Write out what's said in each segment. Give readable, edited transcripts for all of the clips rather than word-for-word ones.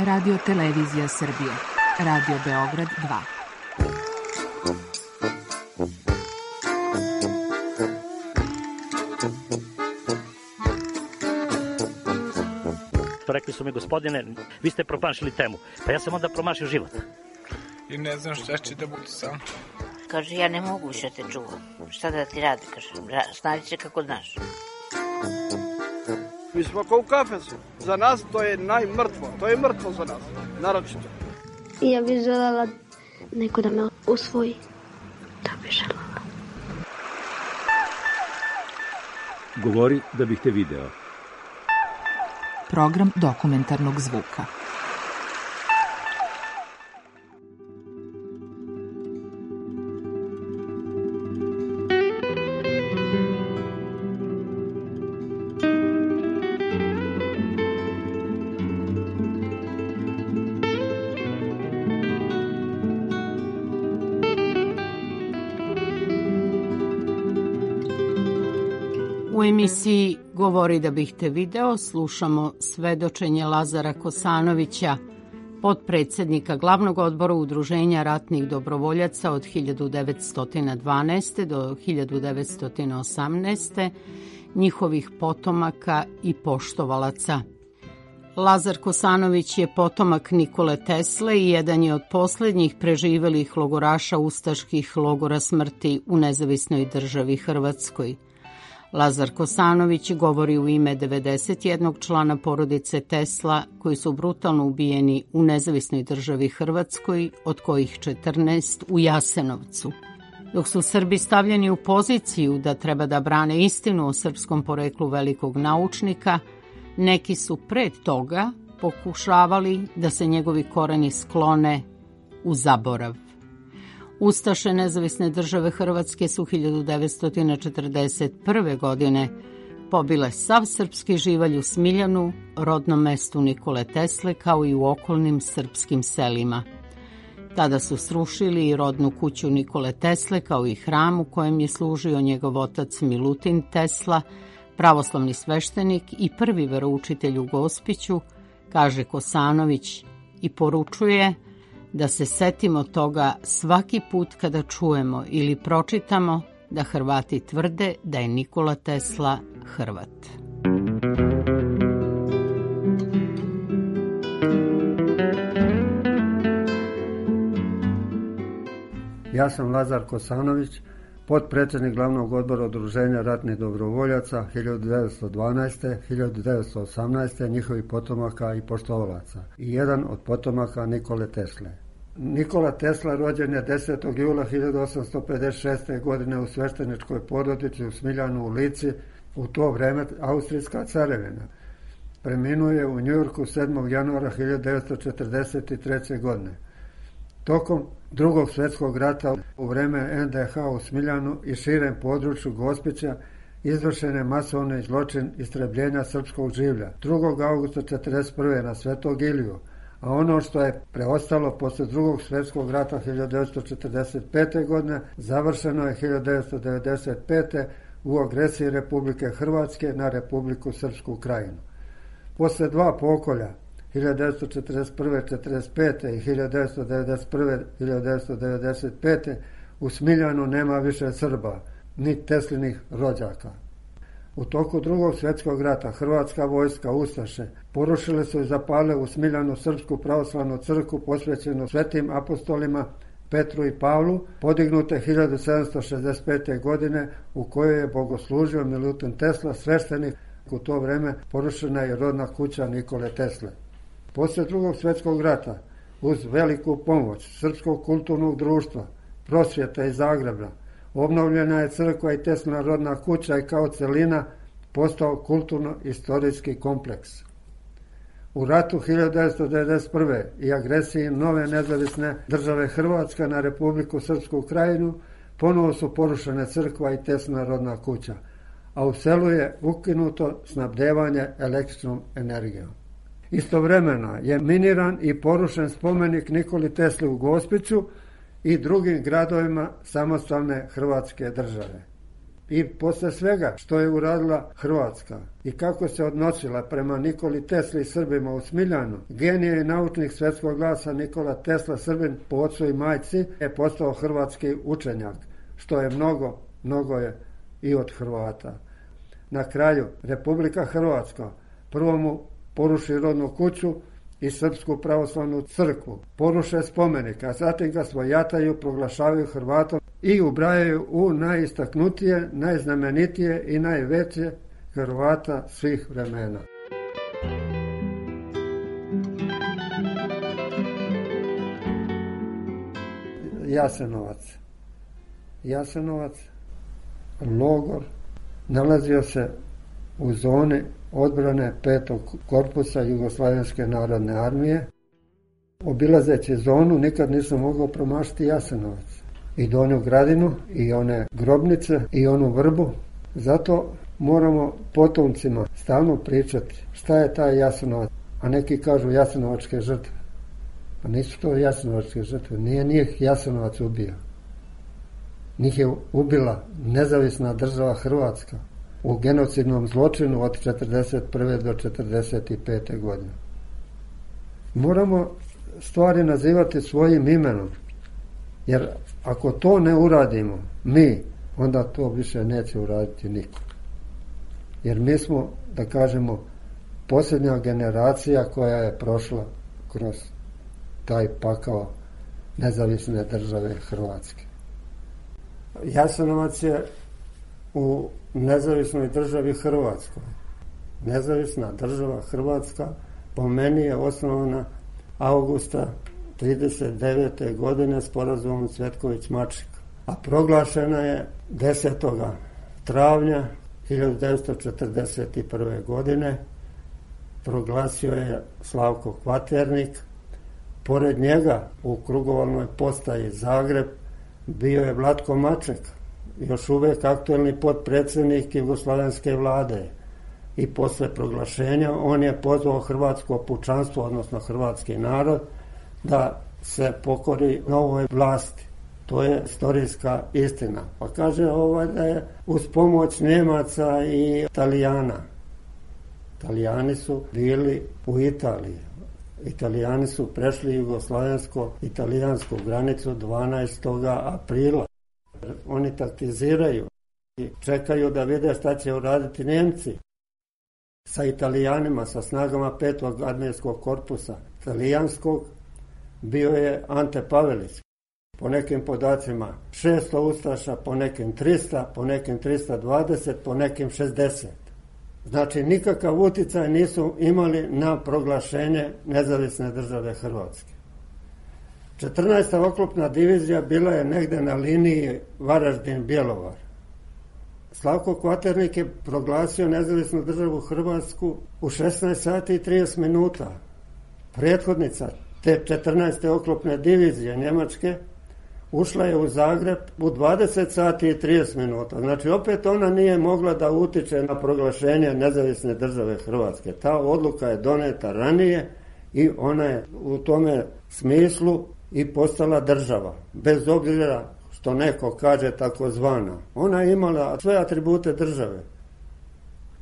Radio Televizija Srbije, Radio Beograd 2. Rekli su mi, gospodine, vi ste promašili temu. Pa ja sam onda promašio život. I ne znam šta će da bude sam. Kaže, ja ne mogu više te čuvam. Šta da ti radi, kaže, snađi se kako znaš. Mi smo kao u kafesu. Za nas to je najmrtvo. To je mrtvo za nas, naročito. Ja bih želela neko da me usvoji. Da bih želela. Govori da bih te video. Program dokumentarnog zvuka. U emisiji Govori da bih te video slušamo svedočenje Lazara Kosanovića, potpredsjednika Glavnog odbora Udruženja ratnih dobrovoljaca od 1912. do 1918. njihovih potomaka i poštovalaca. Lazar Kosanović je potomak Nikole Tesle i jedan je od posljednjih preživelih logoraša ustaških logora smrti u Nezavisnoj državi Hrvatskoj. Lazar Kosanović govori u ime 91 člana porodice Tesla koji su brutalno ubijeni u Nezavisnoj državi Hrvatskoj, od kojih 14 u Jasenovcu. Dok su Srbi stavljeni u poziciju da treba da brane istinu o srpskom poreklu velikog naučnika, neki su pred toga pokušavali da se njegovi koreni sklone u zaborav. Ustaše Nezavisne države Hrvatske su 1941. godine pobile sav srpski živalj u Smiljanu, rodnom mestu Nikole Tesle, kao i u okolnim srpskim selima. Tada su srušili i rodnu kuću Nikole Tesle, kao i hram u kojem je služio njegov otac Milutin Tesla, pravoslavni sveštenik i prvi veroučitelj u Gospiću, kaže Kosanović, i poručuje da se setimo toga svaki put kada čujemo ili pročitamo da Hrvati tvrde da je Nikola Tesla Hrvat. Ja sam Lazar Kosanović, potpredsjednik Glavnog odbora Udruženja ratnih dobrovoljaca 1912. 1918. njihovih potomaka i poštovalaca i jedan od potomaka Nikole Tesle. Nikola Tesla rođen je 10. jula 1856. godine u svešteničkoj porodici u Smiljanu u Lici, u to vreme Austrijska carevina. Preminuo je u Njujorku 7. januara 1943. godine. Tokom Drugog svjetskog rata u vreme NDH u Smiljanu i širem području Gospića izvršen je masovni zločin istrebljenja srpskog življa 2. augusta 1941. na Svetog Iliju, a ono što je preostalo posle Drugog svjetskog rata 1945. godine završeno je 1995. u agresiji Republike Hrvatske na Republiku Srpsku Krajinu. Posle dva pokolja 1941-1945. i 1991-1995. u Smiljanu nema više Srba, ni Teslinih rođaka. U toku Drugog svjetskog rata Hrvatska vojska ustaše porušile su i zapale u Smiljanu Srpsku pravoslavnu crkvu posvećenu svetim apostolima Petru i Pavlu, podignute 1765. godine u kojoj je bogoslužio Milutin Tesla, sveštenik. U to vreme porušena je rodna kuća Nikole Tesle. Poslije Drugog svjetskog rata, uz veliku pomoć Srpskog kulturnog društva, Prosvjeta iz Zagreba, obnovljena je crkva i Teslina rodna kuća i kao celina postao kulturno-istorijski kompleks. U ratu 1991. i agresiji nove nezavisne države Hrvatska na Republiku Srpsku Krajinu ponovo su porušene crkva i Teslina rodna kuća, a u selu je ukinuto snabdevanje električnom energijom. Istovremeno je miniran i porušen spomenik Nikoli Tesli u Gospiću i drugim gradovima samostalne Hrvatske države. i posle svega što je uradila Hrvatska i kako se odnosila prema Nikoli Tesli i Srbima u Smiljanu, genije i naučnik svetskog glasa Nikola Tesla, Srbin po ocu i majci, je postao hrvatski učenjak, što je mnogo je i od Hrvata. Na kraju, Republika Hrvatska prvo mu poruši rodnu kuću i Srpsku pravoslavnu crkvu, poruše spomenik, a zatim ga svojataju, proglašavaju Hrvatom i ubrajaju u najistaknutije, najznamenitije i najveće Hrvata svih vremena. Jasenovac, logor, nalazio se u zoni odbrane 5. korpusa Jugoslavenske narodne armije. Obilazeći zonu nikad nisam mogao promašiti Jasenovac. I Donju Gradinu, i one grobnice, i onu vrbu. Zato moramo potomcima stalno pričati šta je taj Jasenovac. A neki kažu jasenovačke žrtve. A nisu to jasenovačke žrtve. Nije njih Jasenovac ubio. Njih je ubila nezavisna država Hrvatska u genocidnom zločinu od 1941. do 1945. godine. Moramo stvari nazivati svojim imenom, jer ako to ne uradimo mi, onda to više neće uraditi niko. Jer mi smo, da kažemo, posljednja generacija koja je prošla kroz taj pakao nezavisne države Hrvatske. Jasenovac je u nezavisnoj državi Hrvatskoj. Nezavisna država Hrvatska po meni je osnovana avgusta 1939. godine sporazumom Cvetković-Maček, a proglašena je 10. travnja 1941. godine. Proglasio je Slavko Kvaternik. Pored njega u krugovalnoj postaji Zagreb bio je Vlatko Maček, još uvek aktuelni potpredsjednik Jugoslavenske vlade. I posle proglašenja on je pozvao hrvatsko pučanstvo, odnosno hrvatski narod, da se pokori novoj vlasti. To je istorijska istina. Pa kaže da je uz pomoć Njemaca i Italijana. Italijani su bili u Italiji. Italijani su prešli jugoslovensko-italijansku granicu 12. aprila. Oni taktiziraju i čekaju da vide šta će uraditi Njemci sa Italijanima, sa snagama 5. armijskog korpusa italijanskog. Bio je Ante Pavelić, po nekim podacima 600 ustaša, po nekim 300, po nekim 320, po nekim 60. Znači nikakav uticaj nisu imali na proglašenje nezavisne države Hrvatske. 14. oklopna divizija bila je negde na liniji Varaždin-Bjelovar. Slavko Kvaternik je proglasio nezavisnu državu Hrvatsku u 16 sati i 30 minuta. Prethodnica te 14. oklopne divizije Njemačke ušla je u Zagreb u 20 sati i 30 minuta. Znači opet ona nije mogla da utiče na proglašenje nezavisne države Hrvatske. Ta odluka je doneta ranije i ona je u tome smislu i postala država. Bez obzira što neko kaže takozvana. Ona je imala sve atribute države.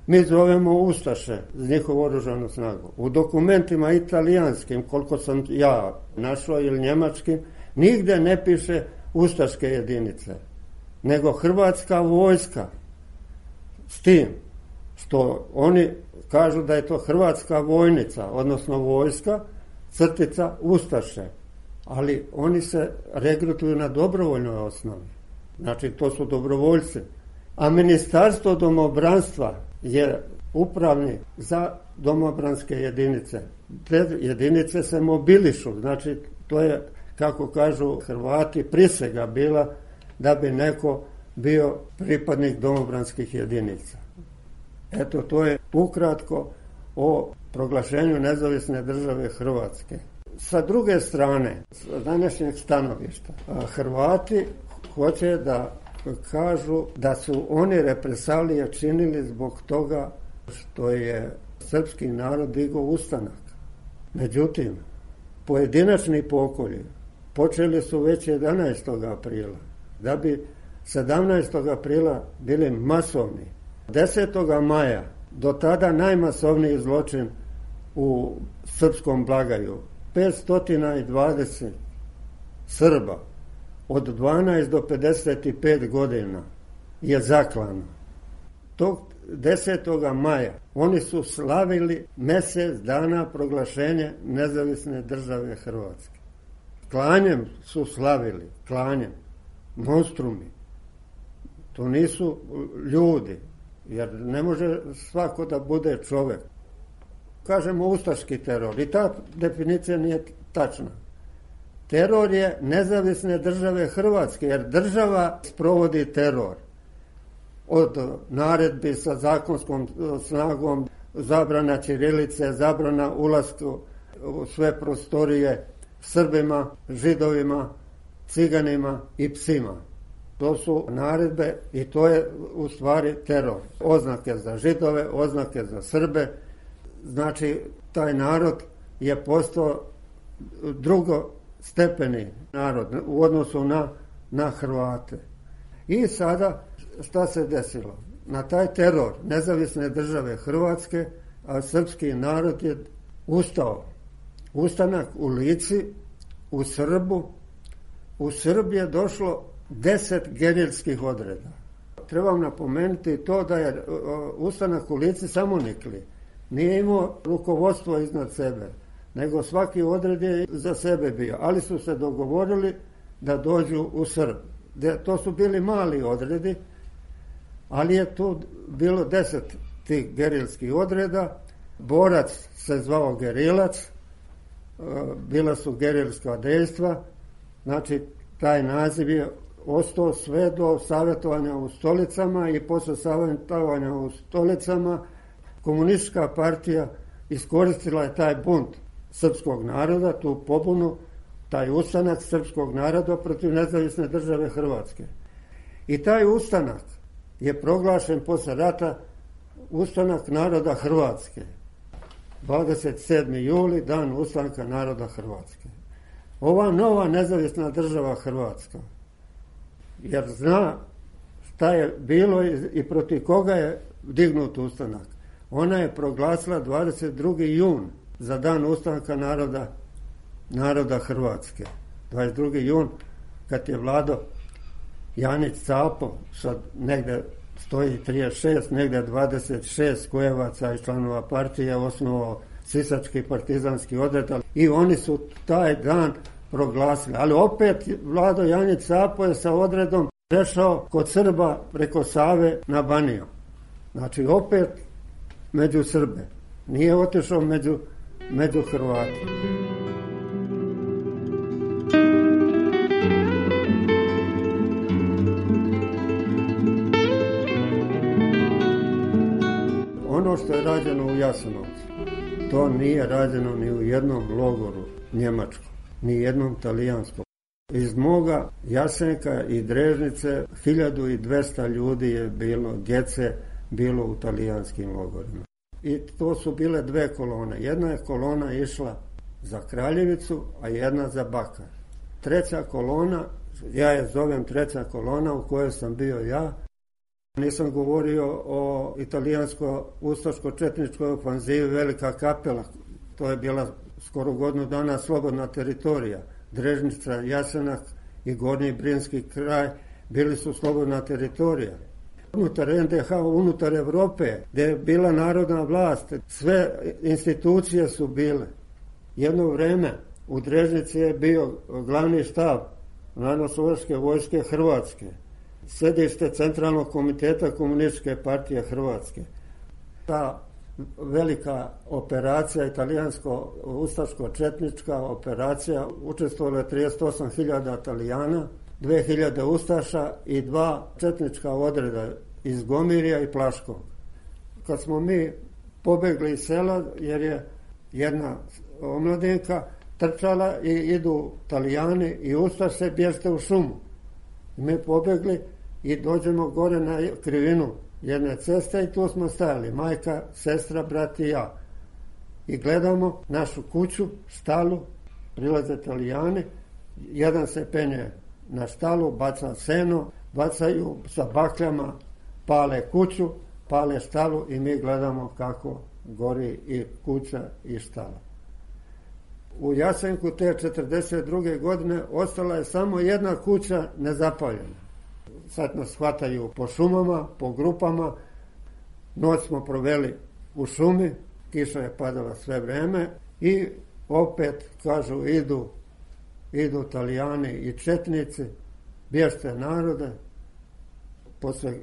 Mi zovemo ustaše z njihovu oružanu snagu. U dokumentima italijanskim, koliko sam ja našao, ili njemačkim, nigde ne piše ustaške jedinice, nego hrvatska vojska. S tim što oni kažu da je to hrvatska vojnica, odnosno vojska, crtica ustaše. Ali oni se regrutuju na dobrovoljnoj osnovi. Znači, to su dobrovoljci. A Ministarstvo domobranstva je upravni za domobranske jedinice. Te jedinice se mobilišu. Znači, to je, kako kažu Hrvati, prisega bila da bi neko bio pripadnik domobranskih jedinica. Eto, to je ukratko o proglašenju nezavisne države Hrvatske. Sa druge strane, sa današnjeg stanovišta, Hrvati hoće da kažu da su oni represalije činili zbog toga što je srpski narod digao ustanak. Međutim, pojedinačni pokolji počeli su već 11. aprila, da bi 17. aprila bili masovni. 10. maja do tada najmasovniji zločin u srpskom Blagaju. 520 Srba od 12 do 55 godina je zaklano. Tog 10. maja oni su slavili mjesec dana proglašenja nezavisne države Hrvatske. Klanjem su slavili, klanjem, monstrumi. To nisu ljudi, jer ne može svako da bude čovjek. Kažemo ustaški teror i ta definicija nije tačna. Teror je nezavisne države Hrvatske, jer država sprovodi teror. Od naredbi sa zakonskom snagom, zabrana ćirilice, zabrana ulaska u sve prostorije Srbima, Židovima, Ciganima i psima. To su naredbe i to je u stvari teror. Oznake za Židove, oznake za Srbe. Znači, taj narod je postao drugostepeni narod u odnosu na Hrvate. I sada šta se desilo? Na taj teror nezavisne države Hrvatske, a srpski narod je ustao. Ustanak u Lici, u Srbu. U Srbiji je došlo 10 gerilskih odreda. Trebam napomenuti to da je ustanak u Lici samonikli. Nije imao rukovodstvo iznad sebe, nego svaki odred je za sebe bio. Ali su se dogovorili da dođu u Srb. To su bili mali odredi, ali je tu bilo 10 tih gerilskih odreda. Borac se zvao gerilac, bila su gerilska dejstva, znači taj naziv je ostao sve do savjetovanja u stolicama i posle savjetovanja u stolicama komunistička partija iskoristila je taj bunt srpskog naroda, tu pobunu, taj ustanak srpskog naroda protiv nezavisne države Hrvatske. I taj ustanak je proglašen posle rata ustanak naroda Hrvatske. 27. juli, dan ustanka naroda Hrvatske. Ova nova nezavisna država Hrvatska, jer zna šta je bilo i protiv koga je dignut ustanak. Ona je proglasila 22. jun za dan ustanka naroda Hrvatske. 22. jun, kad je vladao Janić Capo, sad negde stoji 36, negde 26 kojevaca i članova partije, osnovao sisački partizanski odred, i oni su taj dan proglasili. Ali opet vladao Janić Capo je sa odredom prešao kod Srba preko Save na Baniju. Znači opet među Srbe. Nije otišao među Hrvati. Ono što je rađeno u Jasenovcu, to nije rađeno ni u jednom logoru njemačkom, ni jednom talijanskom. Iz moga Jasenka i Drežnice 1200 ljudi je bilo, djece bilo u talijanskim logorima. I to su bile dve kolone. Jedna je kolona išla za Kraljevicu, a jedna za Bakar. Treća kolona, ja je zovem treća kolona u kojoj sam bio ja. Nisam govorio o italijansko-ustaško-četničkoj ofanzivi Velika Kapela. To je bila skoro godinu dana slobodna teritorija. Drežnica, Jasenak i Gornji Brinski kraj bili su slobodna teritorija. Unutar NDH, unutar Evrope, gdje je bila narodna vlast, sve institucije su bile. Jedno vreme u Drežnici je bio glavni štab Narodnooslobodilačke vojske Hrvatske, sedište Centralnog komiteta Komunističke partije Hrvatske. Ta velika operacija, italijansko-ustaško-četnička operacija, učestvovalo je 38.000 Italijana, 2.000 ustaša i 2 četnička odreda iz Gomirja i Plaškog. Kad smo mi pobegli iz sela, jer je jedna omladinka trčala i idu Italijani i ustaše, bježte u šumu. Mi pobegli i dođemo gore na krivinu jedne ceste i tu smo stajali, majka, sestra, brat i ja. I gledamo našu kuću, štalu, prilaze Italijani, jedan se penje na štalu, baca seno, bacaju sa bakljama, pale kuću, pale štalu i mi gledamo kako gori i kuća i štala. U Jasenku te 1942. godine ostala je samo jedna kuća nezapaljena. Sad nas hvataju po šumama, po grupama. Noć smo proveli u šumi, kiša je padala sve vreme i opet, kažu, idu Italijani i četnici, bježte narode. Posle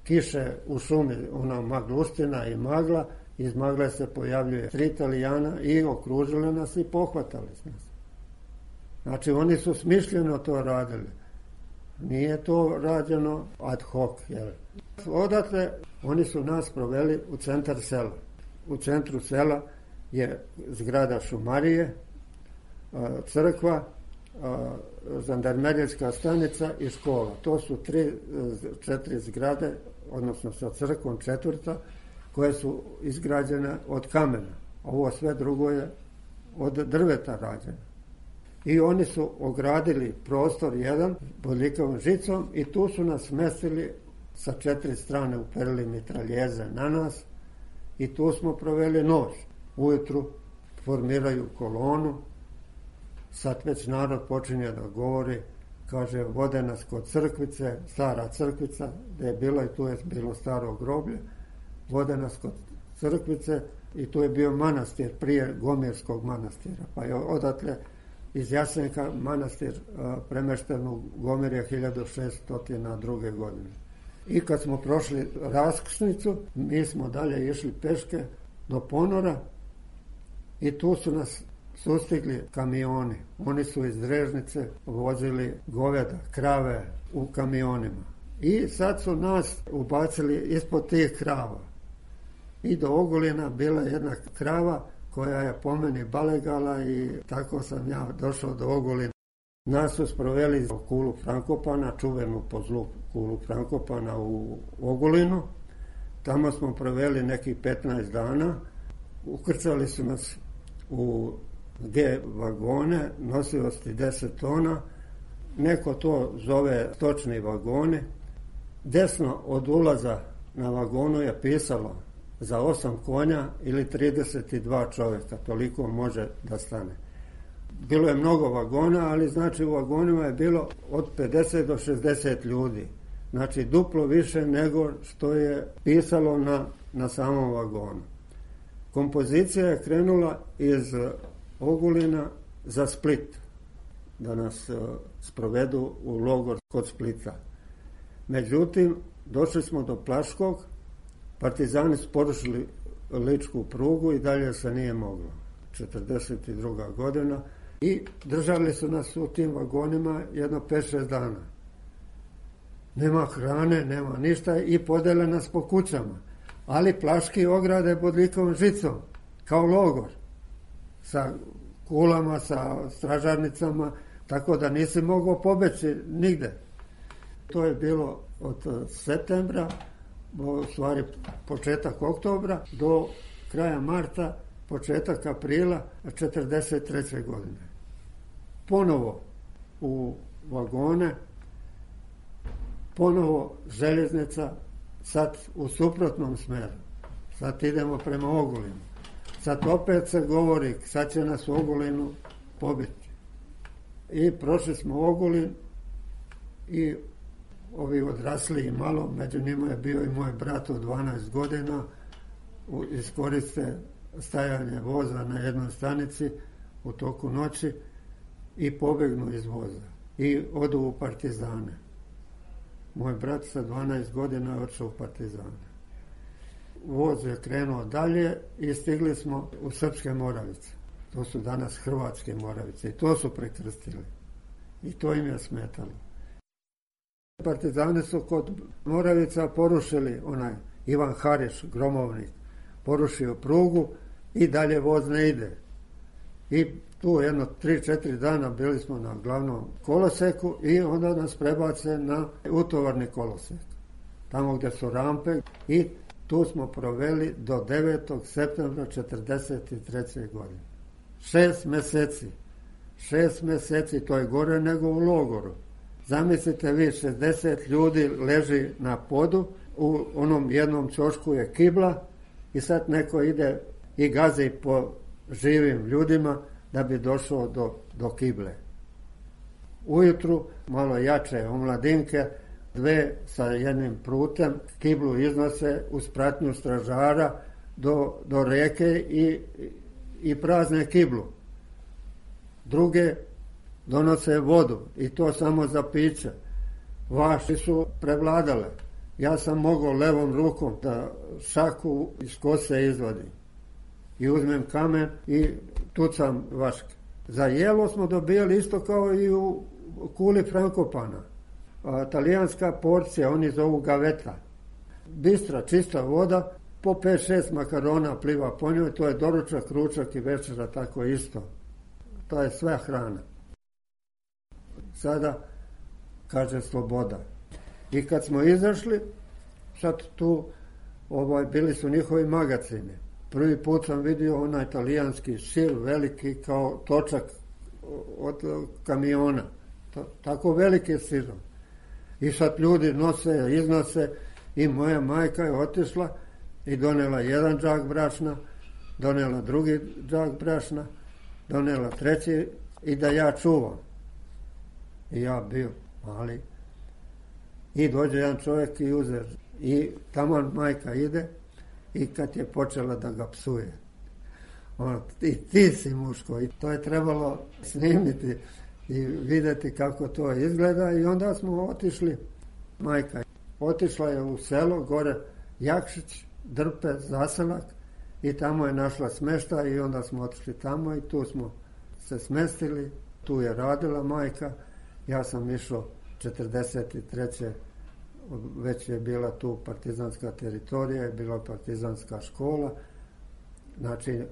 kiše u šumi, ona magluština i magla, iz magle se pojavljuje 3 Italijana i okružili nas i pohvatali nas. Znači, oni su smišljeno to radili. Nije to rađeno ad hoc. Jer odatle oni su nas proveli u centar sela. U centru sela je zgrada šumarije, crkva, žandarmerijska stanica i škola. To su 4 zgrade, odnosno sa crkvom 4, koje su izgrađene od kamena. Ovo sve drugo je od drveta rađeno. I oni su ogradili prostor jedan bodljikavom žicom i tu su nas smestili sa 4 strane, uperili mitraljeze na nas i tu smo proveli noć. Ujutru formiraju kolonu, sad već narod počinje da govori, kaže, vode nas kod crkvice, stara crkvica, gde je bilo i tu je bilo staro groblje, vode nas kod crkvice i tu je bio manastir prije Gomirskog manastira, pa je odatle iz Jasenka manastir premešten u Gomirje 1602. godine. I kad smo prošli raskrsnicu, mi smo dalje išli peške do Ponora i tu su nas sustigli kamioni. Oni su iz Drežnice vozili goveda, krave u kamionima. I sad su nas ubacili ispod tih krava. I do Ogulina bila jedna krava koja je po meni balegala i tako sam ja došao do Ogulina. Nas su sproveli u kulu Frankopana, čuvenu po zlu kulu Frankopana u Ogulinu. Tamo smo proveli nekih 15 dana. Ukrcali su nas u G vagone, nosivosti 10 tona. Neko to zove stočni vagoni. Desno od ulaza na vagonu je pisalo za 8 konja ili 32 čovjeka, toliko može da stane. Bilo je mnogo vagona, ali znači u vagonima je bilo od 50 do 60 ljudi. Znači duplo više nego što je pisalo na samom vagonu. Kompozicija je krenula iz Ogulina za Split, da nas sprovedu u logor kod Splita. Međutim, došli smo do Plaškog, partizani su porušili ličku prugu i dalje se nije moglo. 1942. godina i držali su nas u tim vagonima jedno 5-6 dana. Nema hrane, nema ništa i podele nas po kućama. Ali Plaški ograde bodljikavom žicom, kao logor, sa kulama, sa stražarnicama, tako da nisi mogao pobeći nigde. To je bilo od septembra, u stvari početak oktobra, do kraja marta, početak aprila 1943. godine. Ponovo u vagone, ponovo željeznica, sad u suprotnom smeru. Sad idemo prema Ogulinu. Sad opet se govori, sad će nas u Ogulinu pobiti. I prošli smo Ogulin i ovi odrasli malo, među njima je bio i moj brat od 12 godina, iskoriste stajanje voza na jednoj stanici u toku noći i pobegnu iz voza i odu u partizane. Moj brat sa 12 godina je odšao u partizane. Voz je krenuo dalje i stigli smo u Srpske Moravice. To su danas Hrvatske Moravice i to su prekrstili. I to im je smetalo. Partizani su kod Moravica porušili onaj Ivan Hariš, gromovnik, porušio prugu i dalje voz ne ide. I tu jedno 3-4 dana bili smo na glavnom koloseku i onda nas prebace na utovarni kolosek. Tamo gdje su rampe i tu smo proveli do 9. septembra 1943. godine. 6 meseci. 6 meseci, to je gore nego u logoru. Zamislite vi, 60 ljudi leži na podu, u onom jednom ćošku je kibla i sad neko ide i gazi po živim ljudima da bi došao do kible. Ujutru malo jače omladinke, dve sa jednim prutem, kiblu iznose uz pratnju stražara do reke i prazne kiblu. Druge donose vodu i to samo za piće. Vaši su prevladale. Ja sam mogao levom rukom da šaku iz kose izvadim. I uzmem kamen i tucam vaške. Za jelo smo dobijali isto kao i u kuli Frankopana. Talijanska porcija, oni zovu gaveta. Bistra, čista voda, po 5-6 makarona pliva po njoj, to je doručak, ručak i večera, tako isto. To je sve hrana. Sada kaže sloboda. I kad smo izašli, sad tu bili su njihovi magacini. Prvi put sam vidio onaj talijanski šil, veliki kao točak od kamiona. Tako veliki sirom. I sad ljudi nose, iznose i moja majka je otišla i donela jedan džak brašna, donela drugi džak brašna, donela treći i da ja čuvam. I ja bio mali. I dođe jedan čovjek i uze. I taman majka ide i kad je počela da ga psuje. I ti si muško. I to je trebalo snimiti i vidjeti kako to izgleda. I onda smo otišli. Majka otišla je u selo, gore Jakšić, Drpe, zaselak. I tamo je našla smještaj i onda smo otišli tamo i tu smo se smestili. Tu je radila majka. Ja sam išao 43. Već je bila tu partizanska teritorija, je bila partizanska škola. Znači,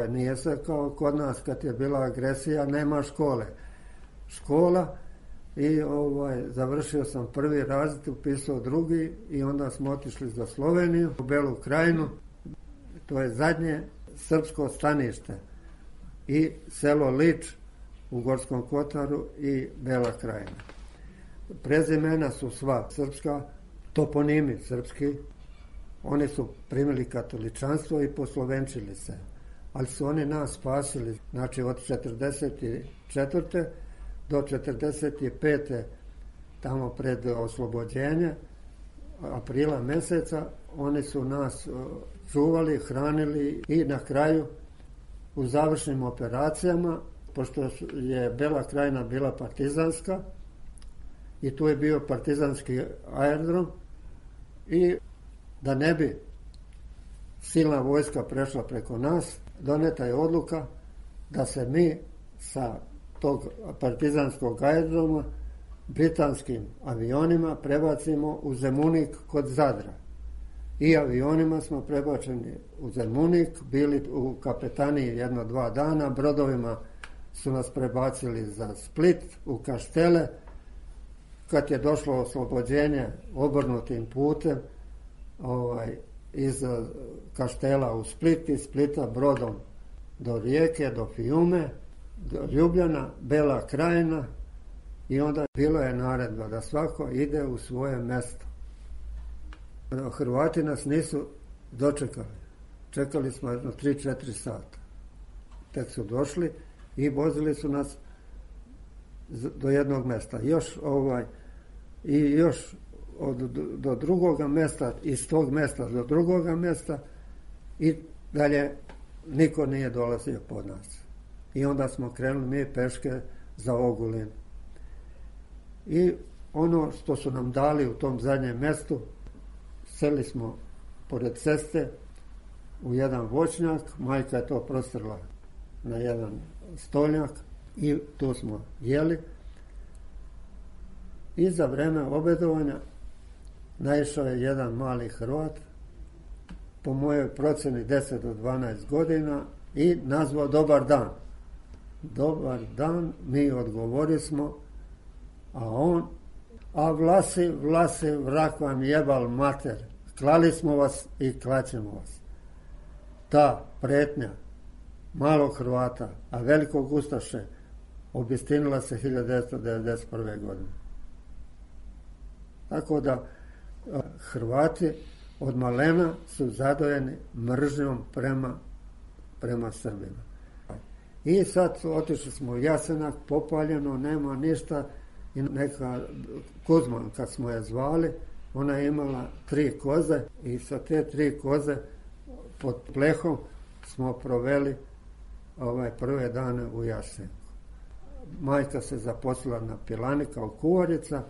nije se kao kod nas kad je bila agresija, nema škole. Škola i završio sam prvi razred, upisao drugi i onda smo otišli za Sloveniju, u Belu Krajinu. To je zadnje srpsko stanište i selo Lič u Gorskom Kotaru i Bela Krajina. Prezimena su sva srpska, toponimi srpski. Oni su primili katoličanstvo i poslovenčili se. Ali su oni nas spasili. Znači od 44. do 45. tamo pred oslobođenje, aprila meseca, oni su nas čuvali, hranili i na kraju u završnim operacijama, pošto je Bela Krajina bila partizanska, i tu je bio partizanski aerodrom i da ne bi silna vojska prešla preko nas, doneta je odluka da se mi sa tog partizanskog aerodroma britanskim avionima prebacimo u Zemunik kod Zadra. I avionima smo prebačeni u Zemunik, bili u kapetaniji 1-2 dana, brodovima su nas prebacili za Split, u Kaštele. Kad je došlo oslobođenje obrnutim putem iz Kaštela u Split, iz Splita brodom do Rijeke, do Fiume, do Ljubljana, Bela Krajina i onda bilo je naredba da svako ide u svoje mjesto. Hrvati nas nisu dočekali. Čekali smo 3-4 sata. Tek su došli i vozili su nas do jednog mjesta. Još do drugoga mjesta, iz tog mjesta do drugoga mjesta i dalje niko nije dolazio pod nas. I onda smo krenuli mi peške za Ogulin. I ono što su nam dali u tom zadnjem mjestu, seli smo pored ceste u jedan voćnjak, majka je to prostrla na jedan stolnjak i tu smo jeli. I za vreme obedovanja naišao je jedan mali Hrvat, po mojoj proceni 10 do 12 godina i nazvao dobar dan. Dobar dan, mi odgovori smo, a on, a vlasi, vrak vam jebal mater, klali smo vas i klaćemo vas. Ta pretnja malog Hrvata, a velikog ustaše, obistinila se 1991. godine. Tako da Hrvati od malena su zadojeni mržnjom prema Srbima. I sad otišli smo u Jasenak, popaljeno, nema ništa, i neka Kuzman, kad smo je zvali, ona je imala 3 koze i sa te 3 koze pod plehom smo proveli prve dane u Jasenku. Majka se zaposlila na pilani kao kuvarica,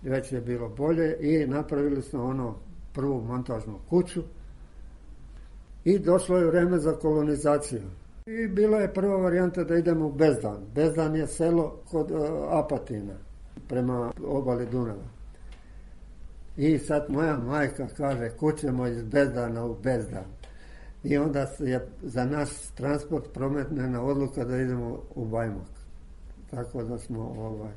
već je bilo bolje i napravili smo prvu montažnu kuću i došlo je vreme za kolonizaciju. I bila je prva varijanta da idemo u Bezdan. Bezdan je selo kod Apatina, prema obali Dunava. I sad moja majka kaže, kućemo iz Bezdana u Bezdan. I onda je za naš transport prometnena odluka da idemo u Bajmok. Tako da smo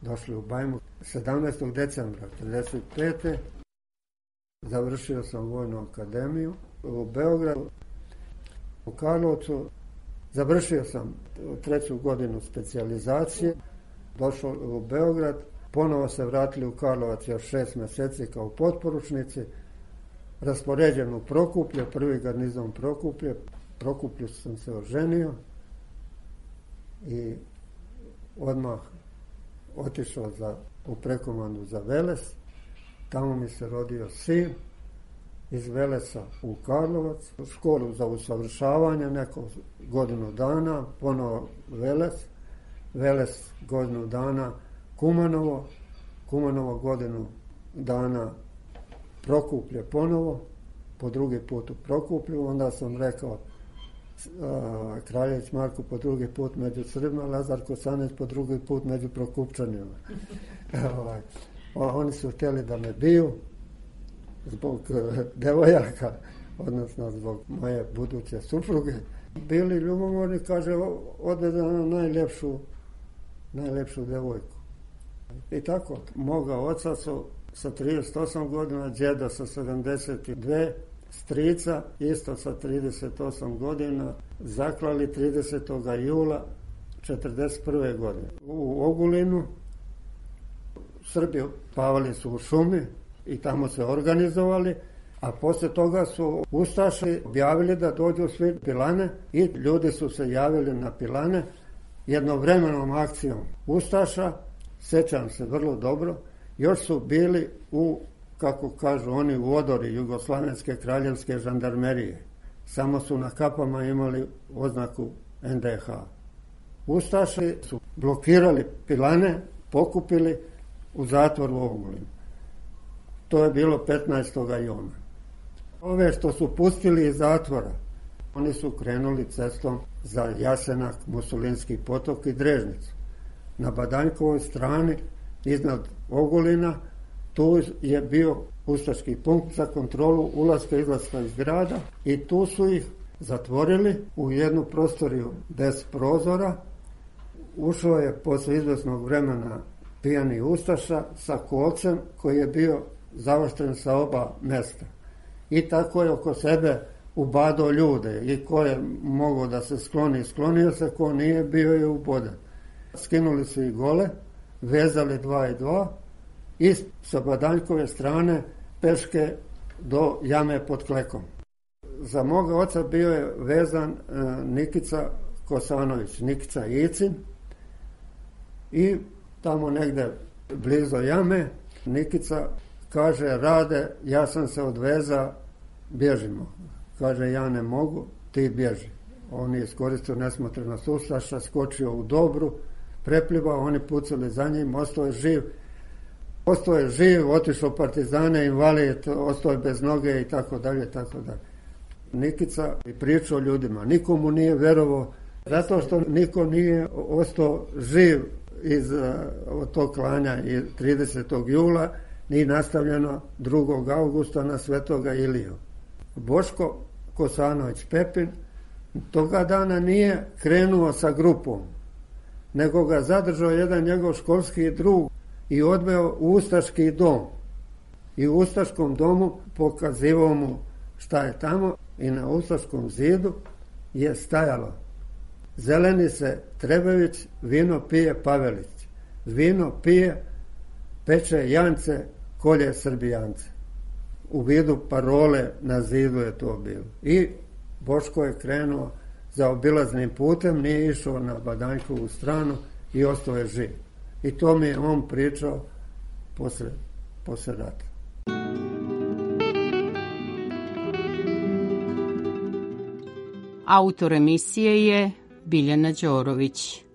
došli u Bajmok. 17. decembra 1955. završio sam Vojnu akademiju u Beogradu. U Karlovcu završio sam 3. godinu specijalizacije, došao u Beograd, ponovo se vratili u Karlovac još 6 mjeseci kao potporučnici, raspoređen u Prokuplje, 1. garnizon Prokuplje. Prokuplju sam se oženio i odmah otišao u prekomandu za Veles. Tamo mi se rodio sin. Iz Velesa u Karlovac, u školu za usavršavanje neko godinu dana, ponovo Veles godinu dana, Kumanovo godinu dana, Prokuplje ponovo, po drugi put u Prokuplju. Onda sam rekao Kraljević Marko po drugi put među Srbima, Lazar Kosanić po drugi put među Prokupčanima. Oni su htjeli da me biju zbog devojaka, odnosno zbog moje buduće supruge. Bili ljubomorni, kaže, odvede na najljepšu devojku. I tako, moga oca su sa 38 godina, djeda sa 72, strica isto sa 38 godina, zaklali 30. jula 1941. godine. U Ogulinu Srbi pavali su u šumi i tamo se organizovali, a poslije toga su ustaši objavili da dođu svi pilane i ljudi su se javili na pilane jednovremenom akcijom ustaša, sjećam se vrlo dobro, još su bili kako kažu oni, u odori Jugoslavenske kraljevske žandarmerije. Samo su na kapama imali oznaku NDH. Ustaši su blokirali pilane, pokupili u zatvor u Ogulinu. To je bilo 15. juna. Ove što su pustili iz zatvora, oni su krenuli cestom za Jasenak, Musulinski potok i Drežnicu. Na Badanjkovoj strani, iznad Ogulina, tu je bio ustaški punkt za kontrolu ulaska i izlaska iz grada i tu su ih zatvorili u jednu prostoriju bez prozora. Ušao je poslije izvesnog vremena pijani ustaša sa kolcem koji je bio zaoštren sa oba mjesta. I tako je oko sebe ubadao ljude i ko je mogao da se skloni, sklonio se, ko nije, bio je uboden. Skinuli su ih gole, vezali 2 i 2 i sa Badaljkove strane peške do jame pod Klekom. Za moga oca bio je vezan Nikica Kosanović, Nikica Icin, i tamo negde blizu jame Nikica kaže, Rade, ja sam se odveza, bježimo. Kaže, ja ne mogu, ti bježi. On je iskoristio nesmotrenost ustaša, skočio u Dobru, prepljivao, oni pucali za njim, ostao je živ, otišao partizane, invalid, ostao je bez noge i tako dalje, tako dalje. Nikica je pričao ljudima, nikomu nije verovao, zato što niko nije ostao živ iz tog klanja i 30. jula, ni nastavljeno 2. augusta na Svetoga Iliju. Boško Kosanović Pepin toga dana nije krenuo sa grupom, nego ga zadržao jedan njegov školski drug i odveo u ustaški dom. I u ustaškom domu pokazivao mu šta je tamo i na ustaškom zidu je stajalo: zeleni se Trebević, vino pije Pavelić. Vino pije peče jance, kolje Srbijance. U vidu parole na zidu je to bilo. I Boško je krenuo za obilaznim putem, nije išao na Badanjkovu stranu i ostao je živ. I to mi je on pričao posle rata. Autor emisije je Biljana Đorović.